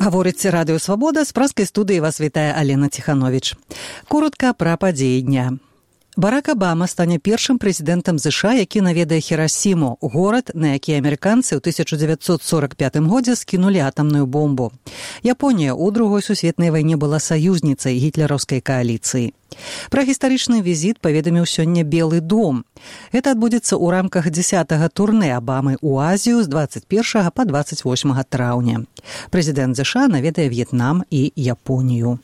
Гаворыць Радыё Свабода, з праскай студыі вас вітае Алена Ціхановіч. Коротка пра падзеі дня. Барак Абама стане першым прэзідэнтам ЗША, які наведае Хірасіму, горад, на які амерыканцы ў 1945 годзе скінулі атамную бомбу. Японія ў Другой сусветнай вайне была саюзніцай гітлераўскай кааліцыі. Пра гістарычны візіт паведаміў сёння Белы дом. Гэта адбудзецца ў рамках 10-га турнэ Абамы ў Азію з 21 па 28 траўня. Прэзідэнт ЗША наведае В'етнам і Японію.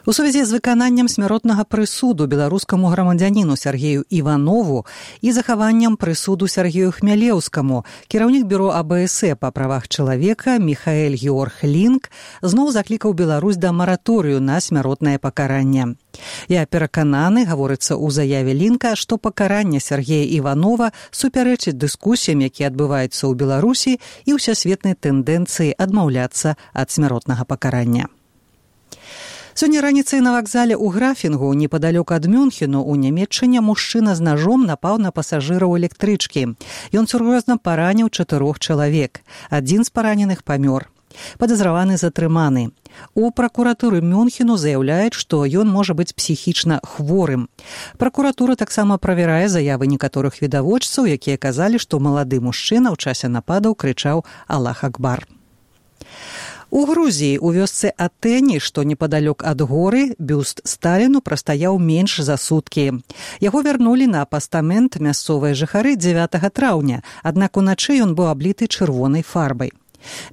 У сувязі з выкананнем смяротнага прысуду беларускаму грамадзяніну Сергею Іванову і захаваннем прысуду Сергею Хмялеўскаму кіраўнік бюро АБС па правах чалавека Міхаэль Георг Лінк зноў заклікаў Беларусь да мараторыю на смяротнае пакаранне. Я перакананы, гаворыцца ў заяве Лінка, што пакаранне Сергея Іванова супярэчыць дыскусіям, якія адбываюцца ў Беларусі і ўсесветнай тэндэнцыі адмаўляцца ад смяротнага пакарання. Сёння раніцай на вакзале ў Графінгу, непадалёк ад Мюнхену, у Нямецчыне мужчына з нажом напаў на пасажыраў электрычкі. Ён сур'ёзна параніў 4 чалавек. Адзін з параненых памёр. Падазраваны затрыманы. У пракуратуры Мюнхену заяўляюць, што ён можа быць псіхічна хворым. Пракуратура таксама правярае заявы некаторых відавочцаў, якія казалі, што малады мужчына ў часе нападаў крычаў «Аллах Акбар». У Грузіі у вёсцы Атэні, што непадалёк ад горы, бюст Сталіну прастаяў менш за суткі. Яго вярнулі на пастамент мясцовыя жыхары 9 траўня, аднак уначы ён быў абліты чырвонай фарбай.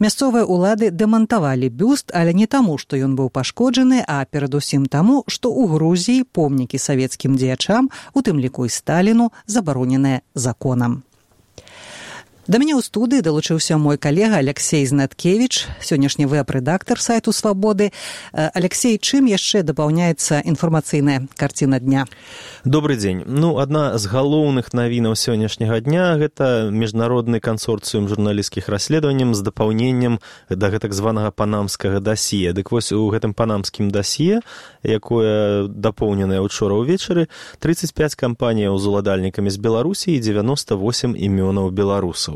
Мясцовыя ўлады дэмантавалі бюст, але не таму, што ён быў пашкоджаны, а перадусім таму, што ў Грузіі помнікі савецкім дзеячам, у тым ліку і Сталіну, забароненыя законам. Да мяне ў студыі далучыўся мой калега Алексей Знаткевіч, сённяшні вэб-рэдактар сайту «Свабоды». Алексей, чым яшчэ дапаўняецца інфармацыйная карціна дня? Добрый дзень. Адна з галоўных навінаў сённяшняга дня – гэта міжнародны кансорцыум журналісцкіх расследаванняў з дапаўненнем да гэтак званага панамскага дасье. Дык вось у гэтым панамскім дасье, якое дапоўненае учора ўвечары, 35 кампаніяў з уладальнікамі з Беларусі і 98 імёнаў беларусаў.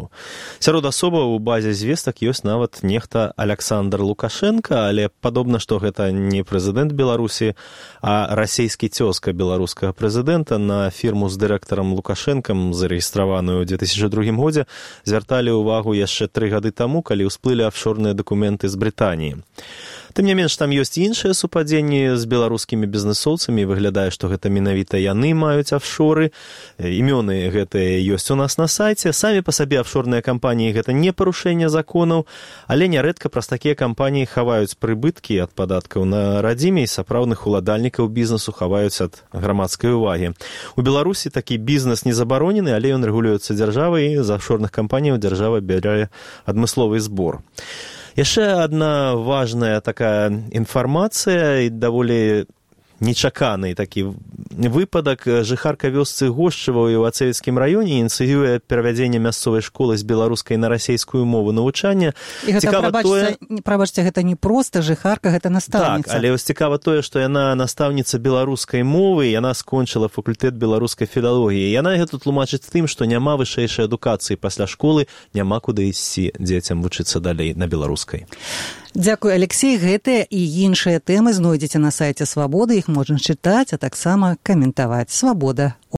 Сярод асобаў у базе звестак ёсць нават нехта Александр Лукашенко, але падобна, што гэта не прэзідэнт Беларусі, а расейскі цёзка беларускага прэзідэнта. На фірму з дырэктарам Лукашэнкам, зарэгістраваную ў 2002 годзе, звярталі ўвагу яшчэ 3 гады таму, калі ўсплылі афшорныя дакументы з Брытаніі. Тым не менш, там ёсць іншыя супадзенні з беларускімі бізнэсоўцамі. Выглядае, што гэта менавіта яны маюць афшоры. Імёны гэтыя ёсць у нас на сайце. Самі па сабе афшорныя кампаніі гэта не парушэнне законаў, але нярэдка праз такія кампаніі хаваюць прыбыткі ад падаткаў на радзіме і сапраўдных уладальнікаў бізнесу хаваюць ад грамадскай увагі. У Беларусі такі бізнес не забаронены, але ён рэгулюецца дзяржавай, і з афшорных кампаніяў дзяржава бярэ адмысловы збор. Яшчэ адна важная такая інфармацыя і даволі нечаканы такі выпадак. Жыхарка вёсцы Гошчыва ў Івацевіцкім раёне ініцыюе перавядзенне мясцовай школы з беларускай на расейскую мову навучання. І гэта, прабачце, гэта не проста жыхарка, гэта настаўніца. Так, але цікава тое, што яна настаўніца беларускай мовы, яна скончыла факультэт беларускай філалогіі. Яна гэта тлумачыць тым, што няма вышэйшай адукацыі пасля школы, няма куды ісці дзецям вучыцца далей на беларускай. Дзякуй, Алексей. Гэтыя і іншыя тэмы знойдзеце на сайце «Свабоды». Іх можна чытаць, а таксама каментаваць. «Свабода».